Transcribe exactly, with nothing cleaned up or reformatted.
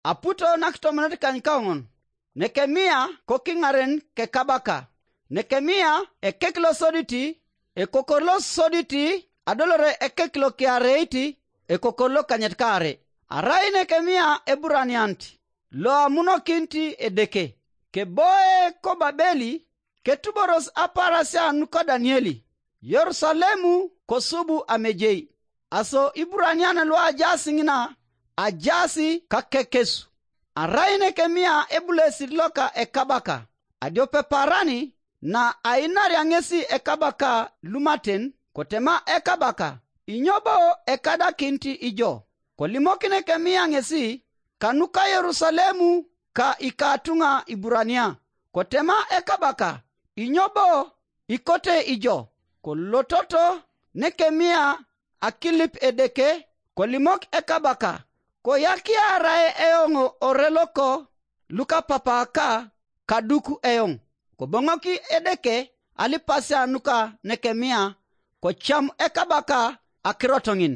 Aputo nakitomonot kanykaoŋon, Nekemia kokiŋaren kekabaka. Nekemia ekek losoditi, ekokor losoditi, adolore ekek lokiareit, ekokor lokanyit kaare. Arai Nekemia Eburanianit loamunokinit Edeke. Keboe koBabeli, ketuboros aparasia nuka Danieli. Yerusalemu kosubu amejei. Aso Iburanian luajaas ŋina ajaas kakekesu. Arai Nekemia ebulesit loka ekabaka, adiope paran na ainaria ŋesi ekabaka lumaten, kotema ekabaka, inyo bo ekadakinit ijo? Kolimokin Nekemia ŋesi kanuka Yerusalemu ka ikatuŋa Iburania, kotema ekabaka, inyo bo ikote ijo? Kolototo Nekemia akilip Edeke, kolimok ekabaka, koyakiarae eoŋ ore loko lukapapaka kaduk eoŋ. Koboŋoki Edeke alipasia nuka Nekemia, kocam ekabaka akirot ŋin.